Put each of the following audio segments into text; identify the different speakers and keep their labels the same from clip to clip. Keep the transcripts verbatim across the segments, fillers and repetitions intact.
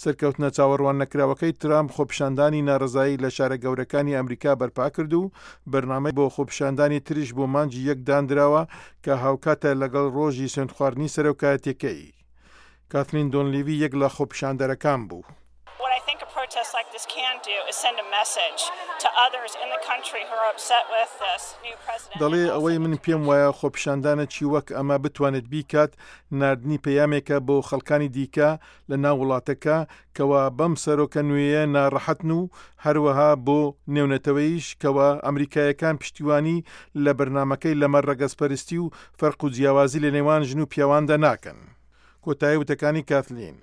Speaker 1: سەرکەوتنە چاوەڕوان نەکراوەکەی ترامپ خۆپیشاندانی ناڕەزایی لە شارە گەورەکانی ئەمریکا بەرپا کرد و بەرنامەی بۆ خۆپیشاندانی تریش بۆ مانگی یەک دانراوە کە هاوکاتە لەگەڵ ڕۆژی سوێندخواردنی سەرۆکایەتیەکەی. کاتلین دۆنلیوی یەک لە خۆپیشاندەرەکان بوو.
Speaker 2: What I think a protest like this can do is send a message to others in the country who are upset with this new president.
Speaker 1: دەڵێ ئەوەی من پێم وایە خۆپیشاندانێکی وەک ئەمە بتوانێت بیکات ناردنی پەیامێکە بۆ خەڵکانی دیکە لە ناو وڵاتەکە کەوا بەم سەرۆکە نوێیە ناڕەحەتن و هەروەها بۆ نێونەتەوەیش کەوا ئەمریکایەکان پشتیوانی لە بەرنامەکەی لەمەڕ ڕەگەزپەرستی و فەرق و جیاوازی لە نێوان ژن و پیاواندا ناکەن. کۆتایی وتەکانی کاتلین.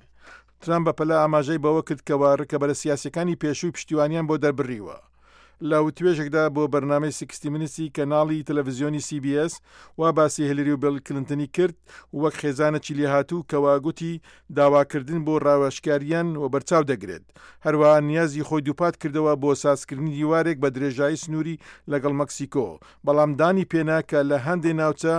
Speaker 1: ترامپ بەپەلە ئاماژەی بەوە کرد کەوا ڕکەبەرە سیاسەکانی پێشووی پشتیوانیان بۆ دەربڕیوە. لە وتوێژێکدا بۆ بەرنامەی Sixty Minutes ی کەناڵی تەلەڤزیۆنی C B S وا باسی هیلری و بیل کلینتنی کرد وەک خێزانێکی لێهاتوو کەوا گوتی داواکردن بۆ ڕاوێژکاریان و بەرچاو دەگرێت. هەروەها نیازی خۆی دووپات کردەوە بۆ سازکردنی دیوارێک بە درێژایی سنووری لەگەڵ مەکسیکۆ، بەڵام دانی پێنا کە لە هەندێ ناوچە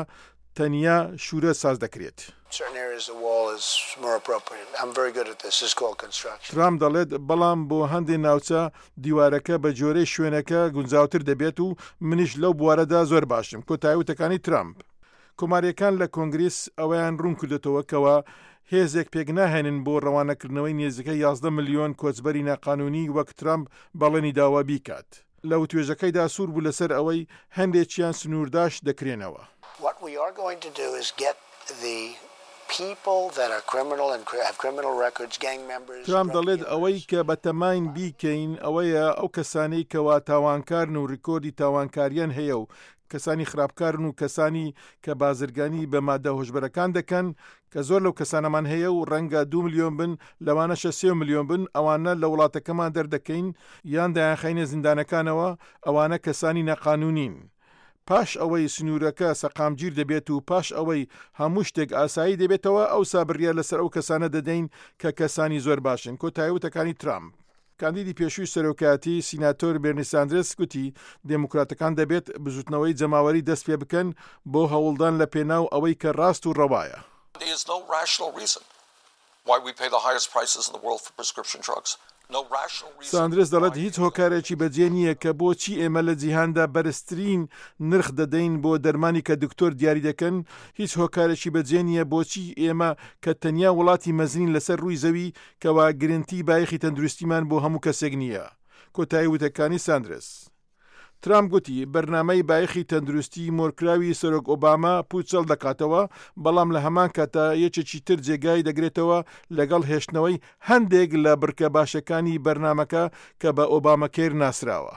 Speaker 1: تەنیا شوورە ساز دەکرێت.
Speaker 3: Certain areas the wall is more appropriate. I'm very good at this. This is called construction.
Speaker 1: ترامپ دەڵێت بەڵام بۆ هەندێک ناوچە دیوارەکە بە جۆرەی شوێنەکە گونجاوتر دەبێت و منیش لەو بوارەدا زۆر باشم. کۆتایی وتەکانی ترامپ. کۆماریەکان لە کۆنگریس ئەوەیان ڕوون کردێتەوە کەوا هێزێک پێک ناهێنن بۆ ڕەوانەکردنەوەی نێزیکە یازدە ملیۆن کۆچبەری ناقانونی وەک ترامپ بەڵێنی داوا بیکات. لە وتوێژەکەیدا سوور بوو لەسەر ئەوەی هەندێکیان سنوورداش دەکرێنەوە.
Speaker 3: What we are going to do is get the people that are criminal and have criminal records, gang members.
Speaker 1: ترامپ دەڵێت ئەوەی کە بەتەماین بیکەین ئەوەیە ئەو کەسانەی کەوا تاوانکارن و ڕیکۆردی تاوانکاریان هەیە و کەسانی خراپکارن و کەسانی کە بازرگانی بە مادە هۆشبەرەکان دەکەن کە زۆر لەو کەسانەمان هەیە و ڕەنگە دو ملیۆن بن لەوانەشە سێ ملیۆن بن ئەوانە لە وڵاتەکەمان دەردەکەین یان دەیانخەینە زیندانەکانەوە ئەوانە کەسانی ناقانونین. پاش ئەوەی سنوورەکە سەقامگیر دەبێت و پاش ئەوەی هەموو شتێک ئاسایی دەبێتەوە ئەوسا بڕیار لەسەر ئەو کەسانە دەدەین کە کەسانی زۆر باشن. کۆتایی وتەکانی ترامپ. کاندیدی پێشووی سەرۆکایەتی سیناتۆر بێرنی ساندرس گوتی دێموکراتەکان دەبێت بزوتنەوەی جەماوەری دەست پێ بکەن بۆ هەوڵدان لە پێناو ئەوەی کە ڕاست و ڕەوایە.
Speaker 4: There is no rational reason why we pay the highest prices in the world for prescription drugs. No rational reason.
Speaker 1: ساندرس دەڵێت هیچ هۆکارێکی بەجێ نییە کە بۆچی ئێمە لە جیهاندا بەرزترین نرخ دەدەین بۆ دەرمانی کە دکتۆر دیاری دەکەن. هیچ هۆکارێکی بەجێ نییە بۆچی ئێمە کە تەنیا وڵاتی مەزنین لەسەر ڕووی زەوی کەوا گرنتی بایەخی تەندروستیمان بۆ هەموو کەسێک نییە. کۆتایی وتەکانی ساندرس. ترامپ گوتی بەرنامەی بایەخی تەندروستی مۆرکراوی سەرۆک ئۆباما پوچەڵ دەکاتەوە، بەڵام لە هەمان کاتە یەکێکی تر جێگای دەگرێتەوە لەگەڵ هێشتنەوەی هەندێک لە بڕگە باشەکانی بەرنامەکە کە بە ئۆباما کێر ناسراوە.